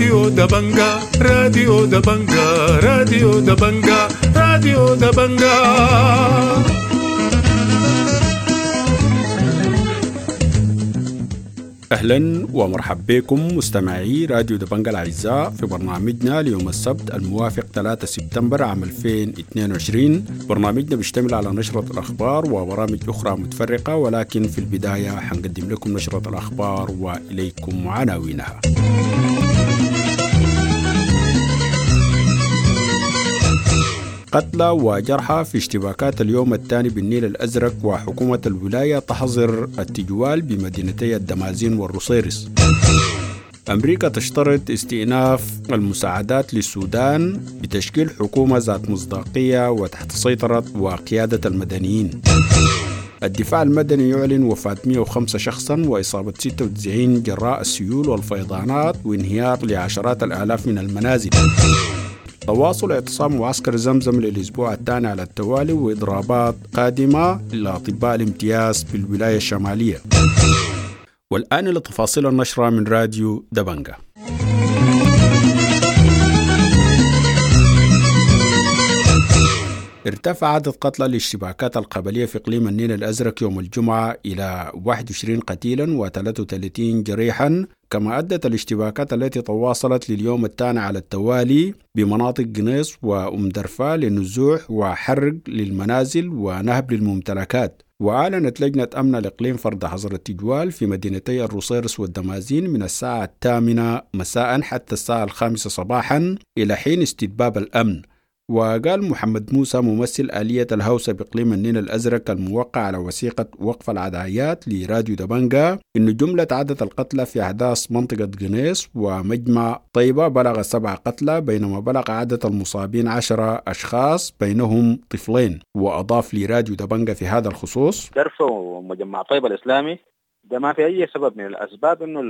راديو دبنجا، راديو دبنجا، راديو دبنجا، راديو دبنجا. أهلا ومرحبا بكم مستمعي راديو دبنجا الأعزاء في برنامجنا ليوم السبت الموافق 3 سبتمبر عام 2022. برنامجنا بيشتمل على نشرة الأخبار وبرامج أخرى متفرقة، ولكن في البداية حنقدم لكم نشرة الأخبار وإليكم عناوينها. قتلى وجرحى في اشتباكات اليوم الثاني بالنيل الأزرق، وحكومة الولاية تحظر التجوال بمدينتي الدمازين والرصيرس. أمريكا تشترط استئناف المساعدات للسودان بتشكيل حكومة ذات مصداقية وتحت سيطرة وقيادة المدنيين. الدفاع المدني يعلن وفاة 105 شخصا وإصابة 96 جراء السيول والفيضانات وانهيار لعشرات الآلاف من المنازل. تواصل اعتصام معسكر زمزم للأسبوع الثاني على التوالي وإضرابات قادمة لأطباء الامتياز بالولاية الشمالية. والآن لتفاصيل النشرة من راديو دبنجا. ارتفع عدد قتلى الاشتباكات القبلية في إقليم النيل الأزرق يوم الجمعة إلى 21 قتيلا و33 جريحا، كما أدت الاشتباكات التي تواصلت لليوم الثاني على التوالي بمناطق قنيص وأم درفا لنزوح وحرق للمنازل ونهب للممتلكات. وأعلنت لجنة أمن الإقليم فرض حظر التجوال في مدينتي الرصيرس والدمازين من الساعة 8 مساء حتى الساعة 5 صباحا إلى حين استتباب الأمن. وقال محمد موسى ممثل آلية الهوسة بإقليم النيل الأزرق الموقع على وثيقة وقف العدايات لراديو دبنجا إن جملة عدد القتلى في أحداث منطقة قنيص ومجمع طيبة بلغ 7 قتلى، بينما بلغ عدد المصابين 10 أشخاص بينهم طفلين. وأضاف لراديو دبنجا في هذا الخصوص: درفة ومجمع طيبة الإسلامي ده ما في أي سبب من الأسباب إنه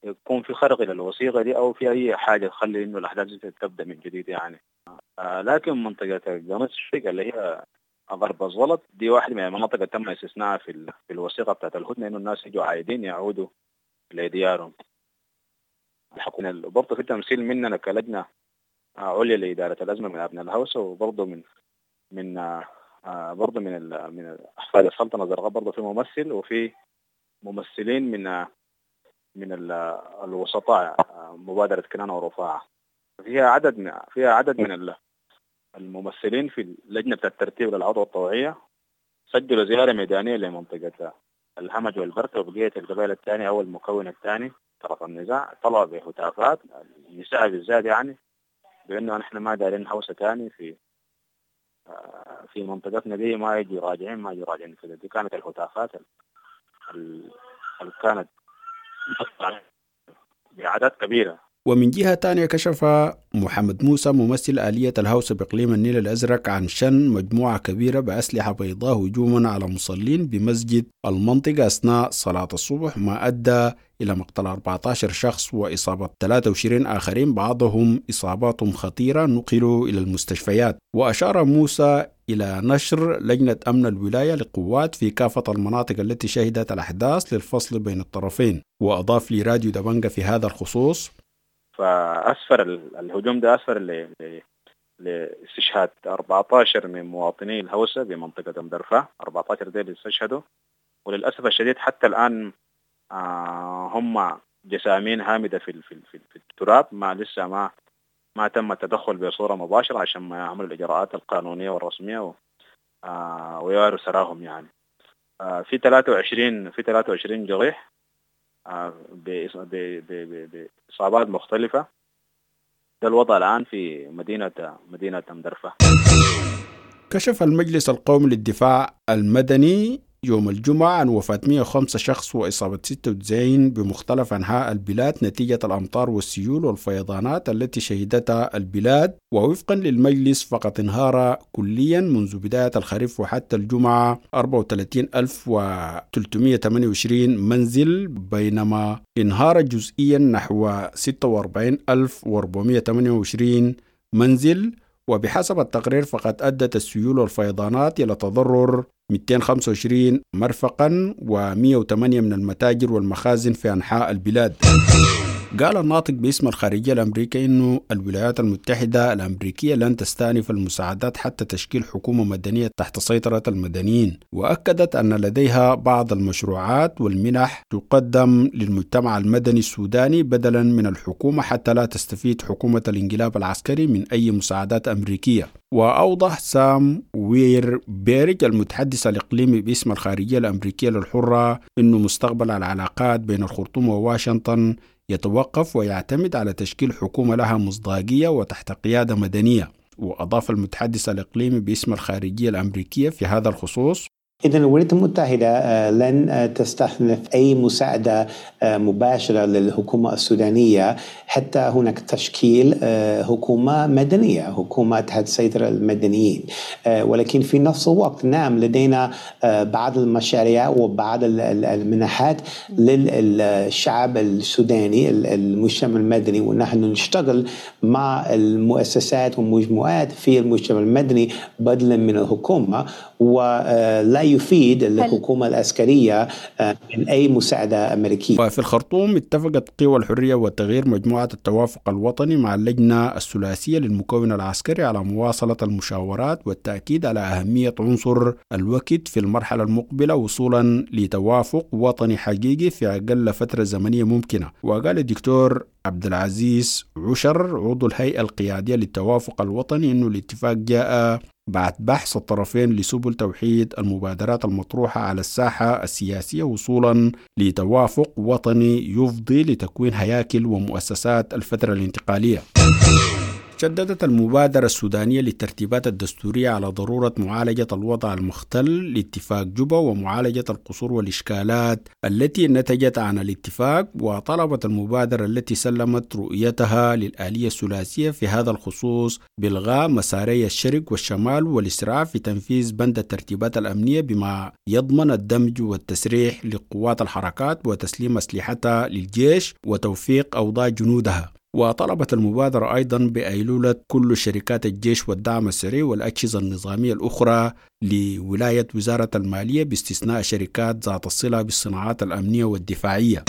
يكون في خرق للوثيقة دي أو في أي حاجة تخلي إنه الأحداث تبدأ من جديد يعني. لكن منطقة قنيص اللي هي غرب الزلط دي واحدة من المناطق اللي تم استثناءها في الوثيقة بتاعت الهدنة، إنه الناس يجوا عايدين يعودوا لديارهم. الحكومة برضه في تمثيل مننا كلجنة عليا لإدارة الأزمة من أبناء الهوسة، وبرضه من من برضه من من أحفاد السلطنة الزرقاء برضه في ممثل، وفي ممثلين من الوسطاء مبادرة كنانة ورفاعة. فيها عدد من الممثلين في اللجنة بتاعت الترتيب للعودة الطوعية سجلوا زيارة ميدانية لمنطقة الهمج والبركة وبقية القبائل الثانية أو المكون الثاني طرف النزاع. طلعوا بهتافات النساء بالذات يعني بأنه نحن ما دارين هوسة ثاني في منطقتنا دي، ما يجي راجعين ما يجي راجعين كده. دي كانت الهتافات اللي كانت بأعداد كبيرة. ومن جهة تانية كشف محمد موسى ممثل آلية الهوسة بإقليم النيل الأزرق عن شن مجموعة كبيرة بأسلحة بيضاء هجوما على مصلين بمسجد المنطقة أثناء صلاة الصبح، ما أدى إلى مقتل 14 شخص وإصابة 23 آخرين، بعضهم إصاباتهم خطيرة نقلوا إلى المستشفيات. وأشار موسى إلى نشر لجنة أمن الولاية لقوات في كافة المناطق التي شهدت الأحداث للفصل بين الطرفين. وأضاف لراديو دبنجا في هذا الخصوص: فأسفر الهجوم ده أسفر لاستشهاد 14 من مواطني الهوسة بمنطقة أم درفة، 14 ديل استشهدوا، وللأسف الشديد حتى الآن هم جسامين هامدة في في التراب، ما لسه ما تم التدخل بصورة مباشرة عشان ما يعملوا الإجراءات القانونية والرسمية ويواروا سراهم يعني. في 23 جريح بإصابات مختلفة. ده الوضع الآن في مدينة أم درفة. كشف المجلس القومي للدفاع المدني يوم الجمعة عن وفاة 105 شخص وإصابة 96 بمختلف أنحاء البلاد نتيجة الأمطار والسيول والفيضانات التي شهدتها البلاد. ووفقا للمجلس فقد انهار كليا منذ بداية الخريف وحتى الجمعة 34328 منزل، بينما انهار جزئيا نحو 46428 منزل. وبحسب التقرير فقد أدت السيول والفيضانات إلى تضرر 225 مرفقا و108 من المتاجر والمخازن في أنحاء البلاد. قال الناطق باسم الخارجية الأمريكية أنه الولايات المتحدة الأمريكية لن تستأنف المساعدات حتى تشكيل حكومة مدنية تحت سيطرة المدنيين، وأكدت أن لديها بعض المشروعات والمنح تقدم للمجتمع المدني السوداني بدلا من الحكومة حتى لا تستفيد حكومة الانقلاب العسكري من أي مساعدات أمريكية. وأوضح سام وير بيرج المتحدث الإقليمي باسم الخارجية الأمريكية للحرة أنه مستقبل العلاقات بين الخرطوم وواشنطن يتوقف ويعتمد على تشكيل حكومة لها مصداقية وتحت قيادة مدنية. وأضاف المتحدث الإقليمي باسم الخارجية الأمريكية في هذا الخصوص: إذن الولايات المتحدة لن تستأنف أي مساعدة مباشرة للحكومة السودانية حتى هناك تشكيل حكومة مدنية، حكومة تحت سيطرة المدنيين. ولكن في نفس الوقت نعم لدينا بعض المشاريع وبعض المنحات للشعب السوداني، المجتمع المدني، ونحن نشتغل مع المؤسسات والمجموعات في المجتمع المدني بدلا من الحكومة، ولا يفيد الحكومة العسكرية من أي مساعدة أمريكية. وفي الخرطوم اتفقت قوى الحرية والتغيير مجموعة التوافق الوطني مع اللجنة الثلاثية للمكون العسكري على مواصلة المشاورات والتأكيد على أهمية عنصر الوقت في المرحلة المقبلة وصولا لتوافق وطني حقيقي في أقل فترة زمنية ممكنة. وقال الدكتور عبد العزيز عشر عضو الهيئة القيادية للتوافق الوطني أنه الاتفاق جاء بعد بحث الطرفين لسبل توحيد المبادرات المطروحة على الساحة السياسية وصولا لتوافق وطني يفضي لتكوين هياكل ومؤسسات الفترة الانتقالية. شددت المبادرة السودانية للترتيبات الدستورية على ضرورة معالجة الوضع المختل لاتفاق جوبا ومعالجة القصور والإشكالات التي نتجت عن الاتفاق. وطلبت المبادرة التي سلمت رؤيتها للآلية الثلاثية في هذا الخصوص بإلغاء مساري الشرق والشمال والإسراع في تنفيذ بند الترتيبات الأمنية بما يضمن الدمج والتسريح لقوات الحركات وتسليم أسلحتها للجيش وتوفيق أوضاع جنودها. وطلبت المبادرة أيضا بأيلولة كل شركات الجيش والدعم السري والأجهزة النظامية الأخرى لولاية وزارة المالية باستثناء شركات ذات الصلة بالصناعات الأمنية والدفاعية.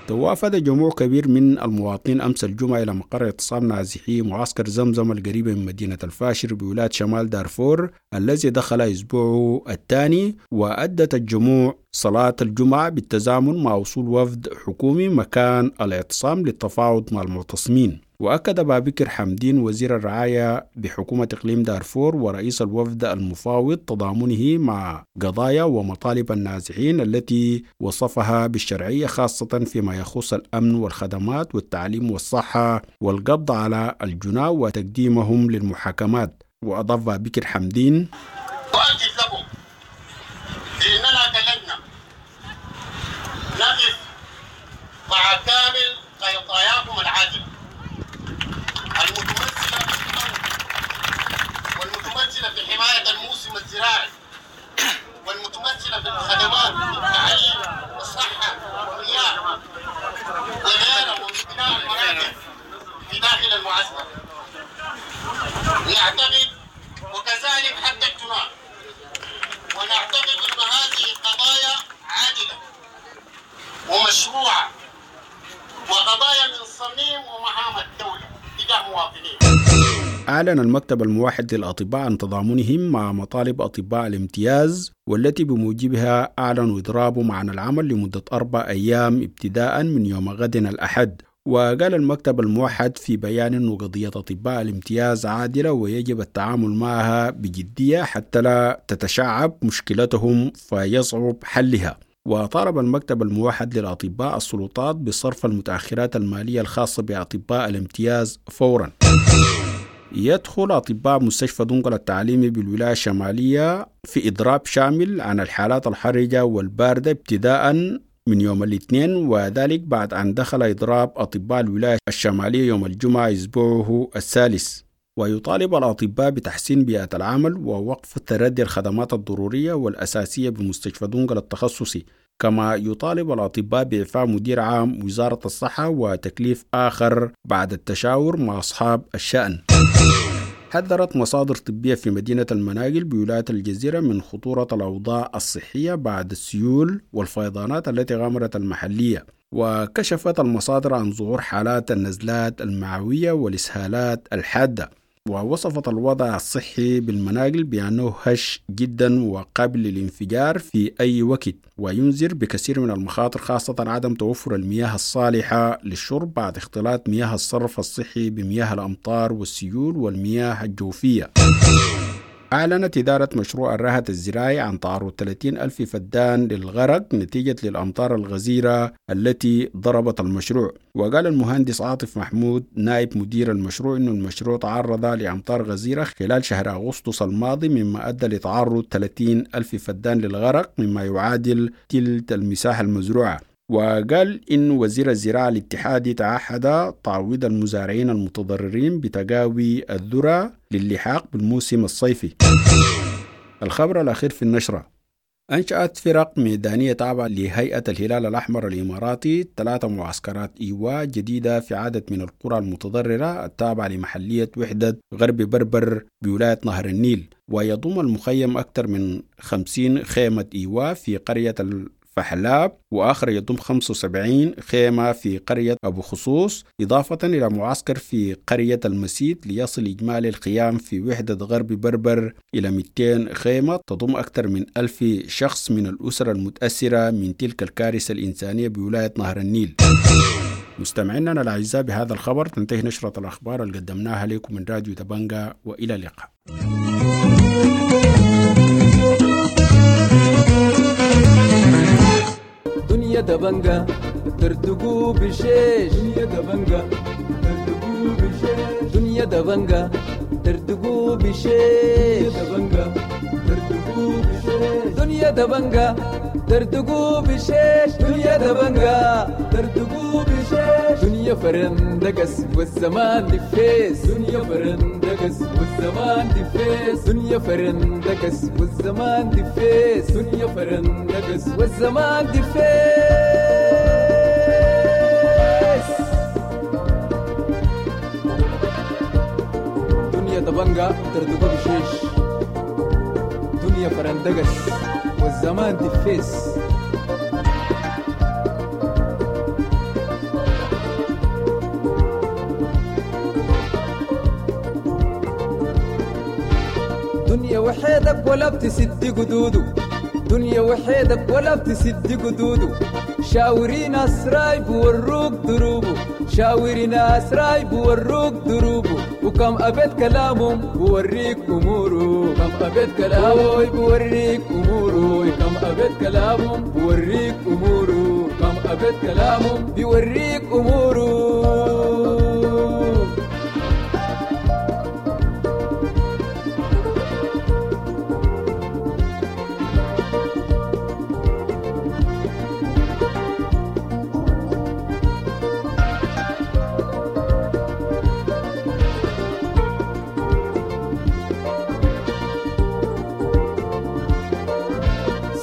توافد جموع كبير من المواطنين أمس الجمعة إلى مقر اعتصام نازحي معسكر زمزم القريب من مدينة الفاشر بولاية شمال دارفور الذي دخل أسبوعه الثاني. وأدت الجموع صلاة الجمعة بالتزامن مع وصول وفد حكومي مكان الاعتصام للتفاوض مع المعتصمين. وأكد بابكر حمدين وزير الرعاية بحكومة إقليم دارفور ورئيس الوفد المفاوض تضامنه مع قضايا ومطالب النازحين التي وصفها بالشرعية، خاصة فيما يخص الأمن والخدمات والتعليم والصحة والقبض على الجناة وتقديمهم للمحاكمات. وأضاف بابكر حمدين: أؤكد لكم بأننا كلجنة نقف مع كامل قضاياكم العادلة المتمثلة في الأرض والمتمثلة في حماية الموسم الزراعي والمتمثلة في الخدمات والتعليم والصحة والمياه وغيرها وبناء المراكز في داخل المعسكر. نعتقد وكذلك حتى الجناح، ونعتقد أن هذه قضايا عادلة ومشروعة وقضايا من صميم ومهام الدولة تجاه مواطنين. أعلن المكتب الموحد للأطباء عن تضامنهم مع مطالب أطباء الامتياز والتي بموجبها أعلنوا إضرابهم عن العمل لمدة 4 أيام ابتداء من يوم غد الأحد. وقال المكتب الموحد في بيان أن قضية أطباء الامتياز عادلة ويجب التعامل معها بجدية حتى لا تتشعب مشكلتهم فيصعب حلها. وطالب المكتب الموحد للأطباء السلطات بصرف المتأخرات المالية الخاصة بأطباء الامتياز فورا. يدخل أطباء مستشفى دنقل التعليمي بالولاية الشمالية في إضراب شامل عن الحالات الحرجة والباردة ابتداء من يوم الاثنين، وذلك بعد أن دخل إضراب أطباء الولاية الشمالية يوم الجمعة أسبوعه الثالث. ويطالب الأطباء بتحسين بيئة العمل ووقف تردي الخدمات الضرورية والأساسية بمستشفى دنقل التخصصي، كما يطالب الأطباء بإعفاء مدير عام وزارة الصحة وتكليف آخر بعد التشاور مع أصحاب الشأن. حذرت مصادر طبية في مدينة المناقل بولاية الجزيرة من خطورة الأوضاع الصحية بعد السيول والفيضانات التي غمرت المحلية. وكشفت المصادر عن ظهور حالات النزلات المعوية والإسهالات الحادة. ووصفت الوضع الصحي بالمناقل بأنه هش جدا وقابل للانفجار في أي وقت، وينذر بكثير من المخاطر، خاصة عدم توفر المياه الصالحة للشرب بعد اختلاط مياه الصرف الصحي بمياه الأمطار والسيول والمياه الجوفية. أعلنت إدارة مشروع الرهط الزراعي عن تعرض 30 ألف فدان للغرق نتيجة للأمطار الغزيرة التي ضربت المشروع. وقال المهندس عاطف محمود نائب مدير المشروع أن المشروع تعرض لأمطار غزيرة خلال شهر أغسطس الماضي، مما أدى لتعرض 30 ألف فدان للغرق، مما يعادل تلت المساحة المزروعة. وقال إن وزير الزراعة الاتحادي تعهد تعويض المزارعين المتضررين بتقاوي الذرة للحاق بالموسم الصيفي. الخبر الأخير في النشرة: أنشأت فرق ميدانية تابعة لهيئة الهلال الأحمر الإماراتي 3 معسكرات إيواء جديدة في عدد من القرى المتضررة التابعة لمحلية وحدة غرب بربر بولاية نهر النيل. ويضم المخيم أكثر من 50 خيمة إيواء في قرية فحلاب، وآخر يضم 75 خيمة في قرية أبو خصوص، إضافة إلى معسكر في قرية المسيد، ليصل إجمالي الخيام في وحدة غرب بربر إلى 200 خيمة تضم أكثر من 1000 شخص من الأسر المتأثرة من تلك الكارثة الإنسانية بولاية نهر النيل. مستمعينا الأعزاء، بهذا الخبر تنتهي نشرة الأخبار اللي قدمناها لكم من راديو دبنجا، وإلى اللقاء. دنيا دبنجا ترتقو بشيش، دنيا دبنجا ترتقو بشيش، دنيا دبنجا ترتقو بشيش، دبنجا ترتقو بشيش، دنيا دبنجا ترتقو بشيش، دنيا دبنجا ترتقو بشيش، دنيا فرندقس والزمان دفيس، دنيا فرندقس والزمان دفيس، دنيا فرندقس والزمان دفيس، دنيا فرندقس والزمان دفيس. دنيا دبنجا ترتقو بشيش، دنيا فرندقس والزمان دفيس. دنيا وحيدك ولا بتسد قدوده، دنيا وحيدك ولا بتسد قدوده، شاوري ناس رايب وروك دروبه، شاوري ناس رايب وروك دروبه، وكم أبيت كلامهم بوريك أموره، كم أبيت كلامه بوريك أموره، كم أبيت كلامهم بوريك أموره، كم أبيت كلامهم بيوريك أموره.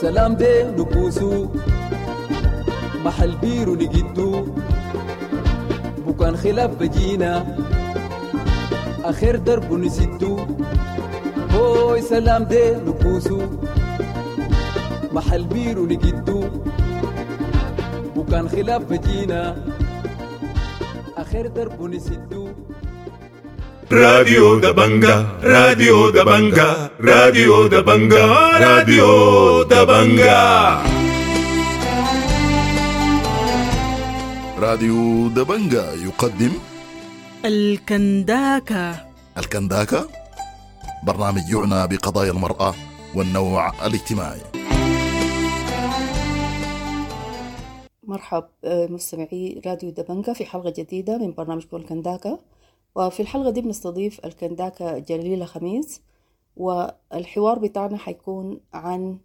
سلام دي نكوسو محل بيرو نجدو، بكان خلاف بجينا آخر درب نسدو، هوي سلام دي نكوسو محل بيرو نجدو، بكان خلاف بجينا آخر درب نسدو. راديو دبنجا، راديو دبنجا، راديو دبنجا، راديو دبنجا. راديو دبنجا يقدم الكنداكا. الكنداكا برنامج يعنى بقضايا المرأة والنوع الاجتماعي. مرحب مستمعي راديو دبنجا في حلقة جديدة من برنامجكم الكنداكا. وفي الحلقة دي بنستضيف الكنداكا جليلة خميس، والحوار بتاعنا حيكون عن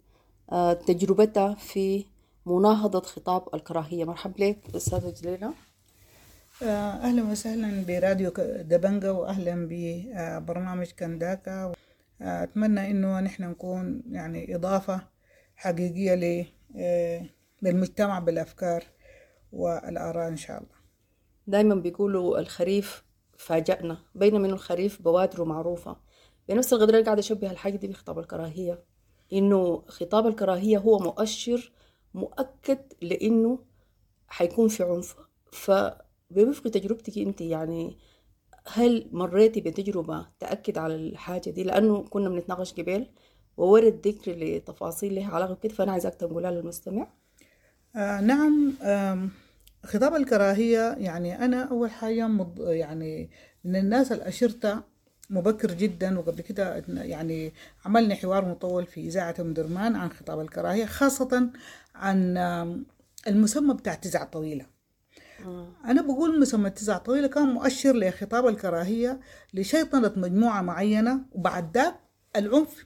تجربتها في مناهضة خطاب الكراهية. مرحب لك أستاذة جليلة. أهلا وسهلا براديو دبنجا، وأهلا ببرنامج كنداكا. أتمنى إنه نحن نكون يعني إضافة حقيقية للمجتمع بالأفكار والآراء إن شاء الله. دايما بيقولوا الخريف فاجأنا، بينما إنه الخريف بوادره معروفة. بنفس القدر اللي قاعدة أشبه الحاجة دي بخطاب الكراهية، إنه خطاب الكراهية هو مؤشر مؤكد لإنه حيكون في عنف. فبوفق تجربتك أنت يعني هل مريتي بتجربة تأكد على الحاجة دي؟ لأنه كنا بنتناقش قبل وورد ذكر لتفاصيل لها علاقة بكده، فأنا عايزاك تنقلها للمستمع. نعم. خطاب الكراهية يعني أنا أول حاجة يعني من الناس اللي أشرتها مبكر جدا، وقبل كده يعني عملنا حوار مطول في إذاعة أم درمان عن خطاب الكراهية، خاصة عن المسمى بتاع 9 طويلة. أنا بقول مسمى 9 طويلة كان مؤشر لخطاب الكراهية لشيطنة مجموعة معينة، وبعد ذاك العنف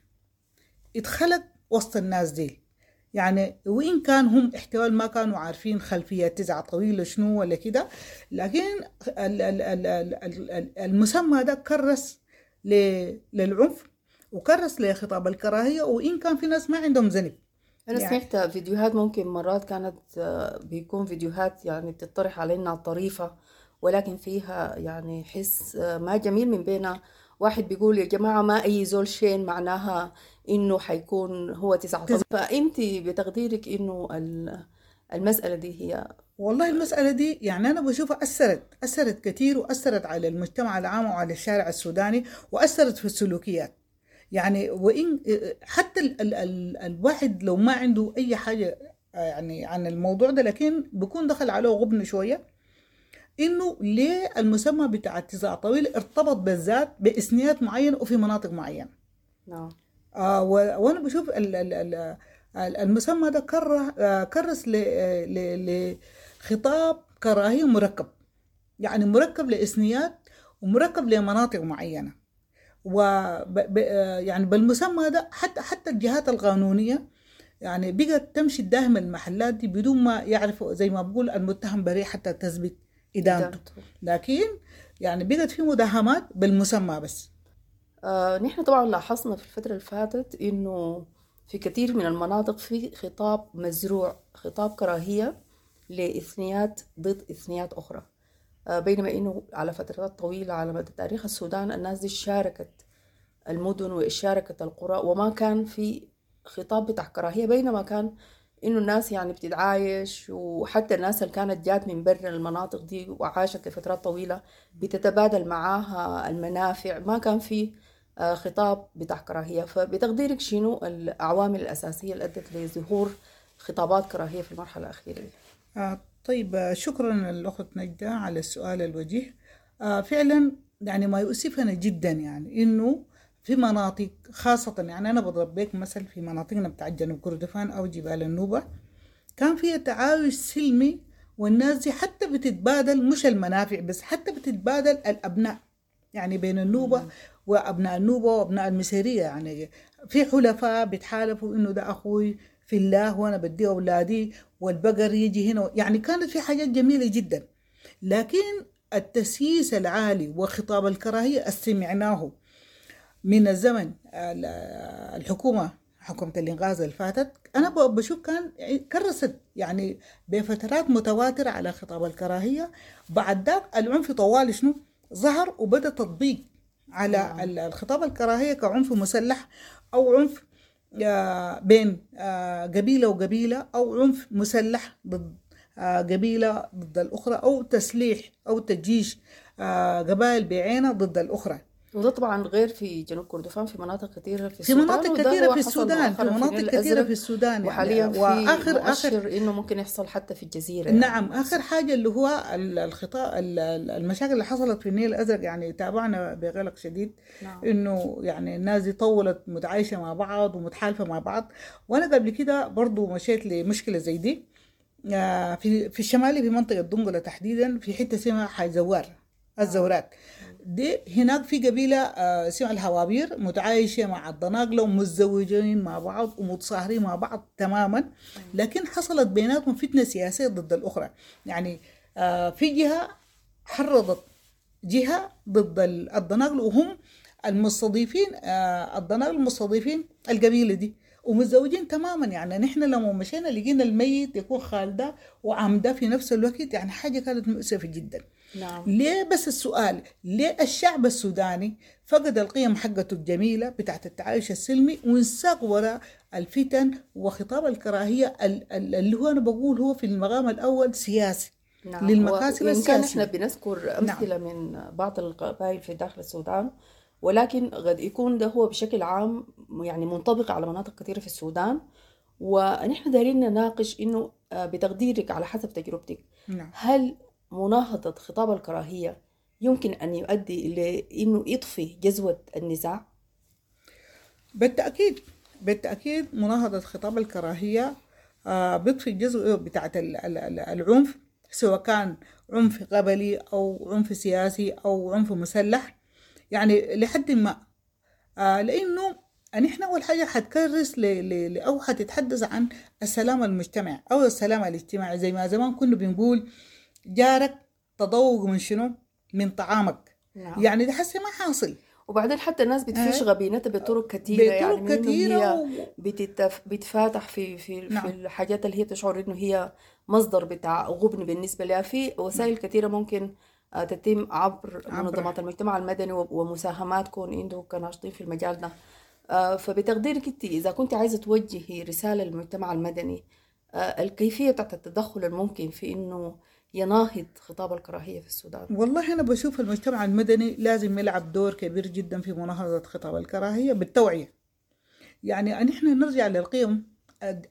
اتخلق وسط الناس دي. يعني وإن كان هم احتمال ما كانوا عارفين خلفية 9 طويلة شنو ولا كده، لكن المسمى ده كرس للعنف وكرس لخطاب الكراهية، وإن كان في ناس ما عندهم ذنب. أنا يعني سمعت فيديوهات ممكن مرات كانت بيكون فيديوهات يعني بتطرح علينا طريفة، ولكن فيها يعني حس ما جميل، من بين واحد بيقول يا جماعة ما أي زول شين معناها إنه حيكون هو 9 طويلة. فأنت بتقديرك إنه المسألة دي هي والله المسألة دي يعني أنا بشوفها أثرت كثير، وأثرت على المجتمع العام وعلى الشارع السوداني، وأثرت في السلوكيات. يعني وإن حتى ال ال ال الواحد لو ما عنده أي حاجة يعني عن الموضوع ده، لكن بيكون دخل عليه غبن شوية إنه ليه المسمى بتاع 9 طويل ارتبط بالذات بإثنيات معينة وفي مناطق معينة. نعم. وأنا بشوف المسمى ده كرس لخطاب كراهية مركب، يعني مركب لإثنيات ومركب لمناطق معينة. يعني بالمسمى ده حتى الجهات القانونية يعني بقت تمشي تداهم المحلات دي بدون ما يعرفوا، زي ما بقول المتهم بريء حتى تثبت إدانته، لكن يعني بقت في مداهمات بالمسمى بس. نحن طبعا لاحظنا في الفترة اللي فاتت إنه في كثير من المناطق في خطاب مزروع، خطاب كراهية لإثنيات ضد إثنيات أخرى، بينما إنه على فترات طويلة على مدى تاريخ السودان الناس دي شاركت المدن وشاركت القرى، وما كان في خطاب بتاع كراهية، بينما كان إنه الناس يعني بتتعايش، وحتى الناس اللي كانت جات من برا المناطق دي وعاشت لفترات طويلة بتتبادل معاها المنافع، ما كان في خطاب بتاع كراهية. فبتقديرك شنو العوامل الأساسية اللي أدت لظهور خطابات كراهية في المرحلة الأخيرة؟ طيب، شكرا للأخت نجدة على السؤال الوجيه. فعلا يعني ما يؤسفنا جدا يعني إنه في مناطق خاصة، يعني أنا بضرب بك مثل في مناطقنا بتاع جنوب كردفان أو جبال النوبة، كان فيها تعايش سلمي، والناس دي حتى بتتبادل مش المنافع بس، حتى بتتبادل الأبناء، يعني بين النوبة وأبناء النوبة وأبناء المسيرية، يعني في حلفاء بيتحالفوا إنه ده أخوي في الله وأنا بدي أولادي والبقر يجي هنا، يعني كانت في حاجات جميلة جدا. لكن التسييس العالي وخطاب الكراهية سمعناه من الزمن الحكومة، حكومة الإنقاذ اللي فاتت، أنا بشوف كان كرست يعني بفترات متواترة على خطاب الكراهية. بعد ذاك العنف طوال شنو ظهر وبدأ تطبيق على الخطاب الكراهية كعنف مسلح أو عنف بين قبيلة وقبيلة، أو عنف مسلح ضد قبيلة ضد الأخرى، أو تسليح أو تجيش قبائل بعينها ضد الأخرى. وده طبعا غير في جنوب كردفان، في مناطق كثيرة في السودان، في مناطق كثيرة في السودان، في مناطق كثيرة في السودان يعني. وحاليا في وآخر مؤشر إنه ممكن يحصل حتى في الجزيرة يعني. نعم، آخر حاجة اللي هو الخطاب، المشاكل اللي حصلت في النيل الأزرق، يعني تابعنا بقلق شديد. نعم. إنه يعني الناس دي طولت متعايشة مع بعض ومتحالفة مع بعض. وأنا قبل كده برضو مشيت لمشكلة زي دي في الشمالي، في منطقة دنقلة تحديدا، في حتة اسمها حي زوار الزورات دي. هناك في قبيلة اسمها الهوابير متعايشة مع الضناقلة ومتزوجين مع بعض ومتصاهرين مع بعض تماما، لكن حصلت بيناتهم فتنة سياسية ضد الأخرى. يعني في جهة حرضت جهة ضد الضناقلة، وهم المستضيفين، الضناقلة المستضيفين القبيلة دي، ومتزوجين تماما. يعني نحن لما مشينا لقينا الميت يكون خالده وعمده في نفس الوقت، يعني حاجة كانت مؤسفة جدا. نعم. ليه بس السؤال، ليه الشعب السوداني فقد القيم حقته الجميلة بتاعت التعايش السلمي وانساق وراء الفتن وخطاب الكراهية اللي هو أنا بقول هو في المقام الأول سياسي؟ نعم. للمكاسب وإن كان السياسية. إحنا بنذكر أمثلة من بعض القبائل في داخل السودان، ولكن قد يكون ده هو بشكل عام يعني منطبق على مناطق كثيرة في السودان. ونحن دايرين نناقش إنه بتقديرك على حسب تجربتك، نعم. هل مناهضة خطاب الكراهية يمكن أن يؤدي لإنه يطفي جذوة النزاع؟ بالتأكيد، بالتأكيد مناهضة خطاب الكراهية بيطفي الجزء بتاعت العنف، سواء كان عنف قبلي أو عنف سياسي أو عنف مسلح، يعني لحد ما. لأنه نحن أول حاجة حتكرس أو حتتحدث عن السلام المجتمعي أو السلام الاجتماعي. زي ما زمان كنا بنقول جارك تذوق من شنو؟ من طعامك. نعم. يعني ده حسي ما حاصل. وبعدين حتى الناس بتفش غبينتها بطرق كثيرة، بطرق يعني من إنه كثيرة هي بتفاتح في في نعم. في الحاجات اللي هي تشعر إنه هي مصدر بتاع غبن بالنسبة لها. في وسائل كثيرة ممكن تتم عبر منظمات المجتمع المدني ومساهماتكم انتم كناشطين في المجال ده. فبتقديرك انت إذا كنت عايزة توجهي رسالة للمجتمع المدني، الكيفية بتاعت التدخل الممكن في إنه يناهض خطاب الكراهية في السودان؟ والله أنا بشوف المجتمع المدني لازم يلعب دور كبير جدا في مناهضة خطاب الكراهية بالتوعية. يعني نحن نرجع للقيم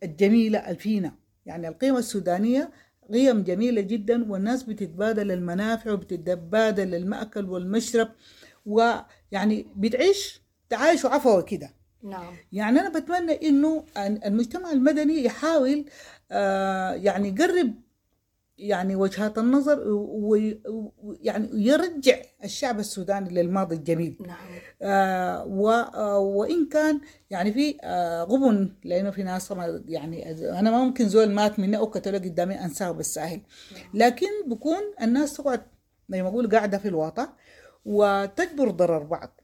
الجميلة الفينا، يعني القيم السودانية قيم جميلة جدا، والناس بتتبادل المنافع وبتتبادل المأكل والمشرب، ويعني بتعيش تعايش عفوي كده. نعم. يعني أنا بتمنى إنه المجتمع المدني يحاول يعني يقرب يعني وجهات النظر ويعني يرجع الشعب السوداني للماضي الجميل. نعم. وإن كان يعني في غبن، لأنه في ناس يعني أنا ما ممكن زول مات مني أو قتلوه قدامي أنساه بالساهل، لكن بكون الناس تقعد زي ما أقول قاعدة في الواطة وتجبر ضرر بعض.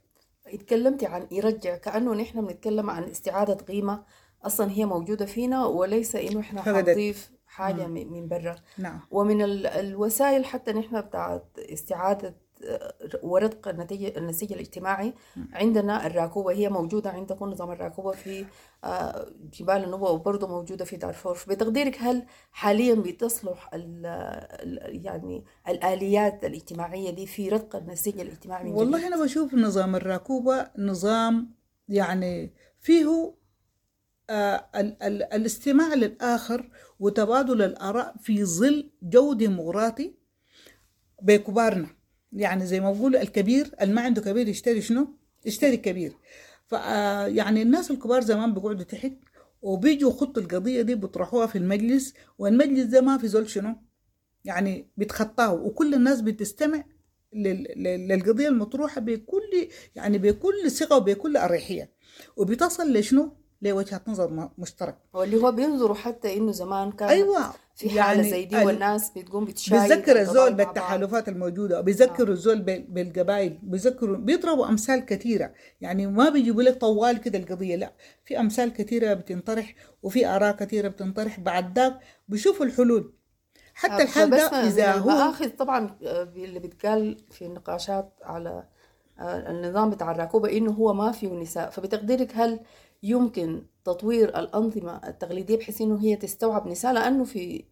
اتكلمتي عن يرجع، كأنه نحن بنتكلم عن استعادة قيمة أصلا هي موجودة فينا، وليس إنه إحنا حنضيف حاجة من برا. نعم. ومن الوسائل حتى نحن بتاعت استعادة ورتق النسيج الاجتماعي عندنا الراكوبة، هي موجودة عندكم نظام الراكوبة في جبال النوبة وبرضه موجودة في دارفور. بتقديرك هل حاليا بتصلح يعني الآليات الاجتماعية دي في رتق النسيج الاجتماعي من والله جديد؟ أنا بشوف نظام الراكوبة نظام يعني فيه الاستماع للآخر وتبادل الآراء في ظل جو ديمقراطي بكبارنا. يعني زي ما بقول الكبير اللي ما عنده كبير يشتري شنو؟ يشتري كبير. يعني الناس الكبار زمان بيقعدوا تحت وبيجوا خطوا القضية دي بيطرحوها في المجلس، والمجلس ده ما في زول شنو؟ يعني بيتخطاه، وكل الناس بتستمع للقضية المطروحة بكل يعني بكل ثقة وبكل أريحية، وبتصل لشنو؟ لوجهة نظر مشترك. واللي هو بينظروا حتى إنه زمان كان أيوة في حالة يعني زي دي والناس بتقوم بتشايد، بيتذكر الزول بالتحالفات الموجودة، بيذكروا الزول بالقبائل، بيذكروا، بيضربوا أمثال كثيرة. يعني ما بيجيبوا لك طوال كده القضية، لا، في أمثال كثيرة بتنطرح وفي آراء كثيرة بتنطرح، بعد ذاك بيشوفوا الحلول. حتى الحل ده إذا هو المآخذ طبعا اللي بتقال في النقاشات على النظام بتاع الراكوبة إنه هو ما فيه نساء، فبتقديرك هل يمكن تطوير الأنظمة التقليدية بحيث إنه هي تستوعب نساء؟ لأنه في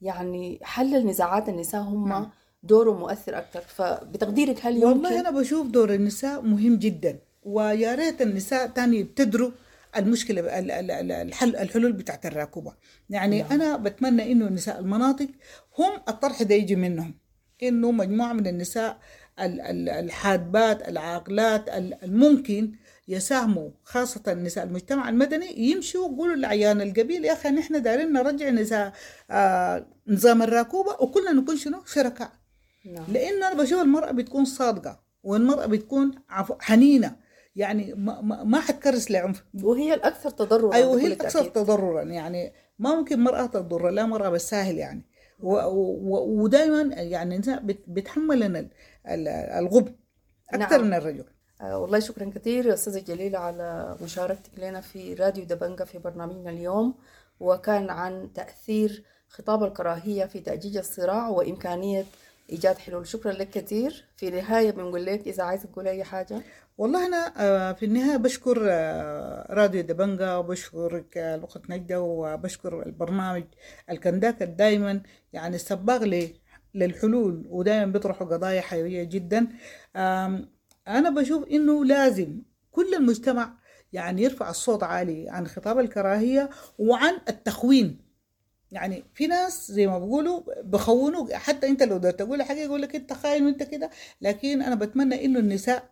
يعني حل النزاعات النساء هم دوره مؤثر أكثر، فبتقديرك هل يمكن؟ والله أنا بشوف دور النساء مهم جدا، ويا ريت النساء تاني يبتدروا المشكلة الحل الحلول بتاعت الراكوبة. يعني نعم. أنا بتمنى إنه نساء المناطق هم الطرح ده يجي منهم، إنه مجموعة من النساء الحادبات العاقلات الممكن يساهموا، خاصة نساء المجتمع المدني، يمشوا ويقولوا لعيان القبيل يا أخي نحن دارين نرجع نساء نظام الراكوبة وكلنا نكون شنو شركاء. نعم. لأنه أنا بشوف المرأة بتكون صادقة والمرأة بتكون حنينة، يعني ما حتكرس لعنف، وهي الأكثر تضررا. أيوة هي الأكثر تضررا، يعني ما ممكن مرأة تضر لا مرأة بالساهل يعني، ودائما يعني النساء بتحملن الغبن أكثر. نعم. من الرجل. والله شكرا كثير يا أستاذة جليلة على مشاركتك لنا في راديو دبنجة في برنامجنا اليوم، وكان عن تأثير خطاب الكراهية في تأجيج الصراع وإمكانية إيجاد حلول. شكرا لك كثير. في النهاية بنقول لك إذا عايزة تقول أي حاجة. والله أنا في النهاية بشكر راديو دبنجة، وبشكرك الأخت نجدة، وبشكر البرنامج الكنداكة دايما يعني السباق للحلول، ودايما بيطرحوا قضايا حيوية جدا. أنا بشوف إنه لازم كل المجتمع يعني يرفع الصوت عالي عن خطاب الكراهية وعن التخوين. يعني في ناس زي ما بيقولوا بخونوك، حتى انت لو قدرت تقول حاجه يقول لك انت خاين وانت كده. لكن انا بتمنى انه النساء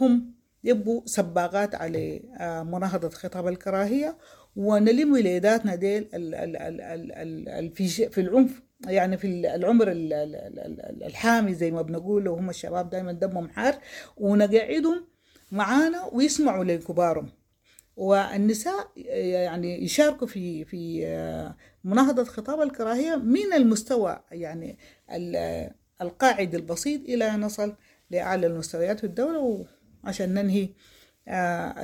هم يبقوا سباقات على مناهضة خطاب الكراهية، ونلم وليداتنا ديل ال ال ال ال ال في العنف، يعني في العمر الحامي زي ما بنقول، وهم الشباب دايما دمهم حار، ونقعدهم معانا ويسمعوا لكبارهم. والنساء يعني يشاركوا في مناهضة خطاب الكراهية من المستوى يعني القاعدي البسيط إلى أن نصل لأعلى المستويات في الدولة، وعشان ننهي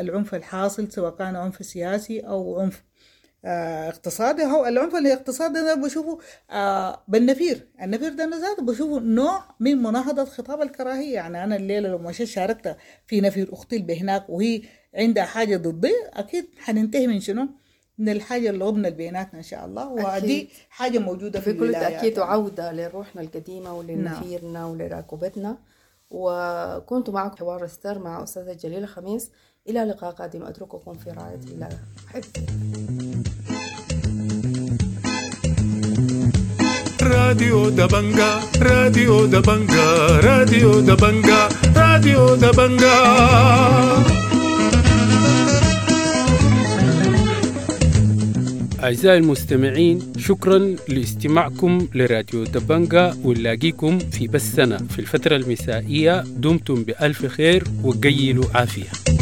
العنف الحاصل سواء كان عنف سياسي أو عنف اقتصادي. هو العنف الاقتصادي أنا بشوفه بالنفير، النفير ده أنا ذاته بشوفه نوع من مناهضة خطاب الكراهية. يعني أنا الليلة لو مشيت شاركت في نفير أختي اللي هناك وهي عندها حاجة ضدي، أكيد حننتهي من شنو؟ من الحاجة اللي غبنا بيناتنا إن شاء الله. ودي حاجة موجودة في بكل تأكيد، وعودة لروحنا القديمة ولنفيرنا ولراكوبتنا. وكنت معكم حوار ستار مع أستاذة جليلة خميس. إلى لقاء قادم، أترككم في رعاية الله. حفظ راديو دبنجا، راديو دبنجا، راديو دبنجا، راديو دبنجا. أعزائي المستمعين، شكرا لاستماعكم لراديو دبنجا، ونلاقيكم في بثنا في الفترة المسائية. دمتم بألف خير وقيلوا عافية.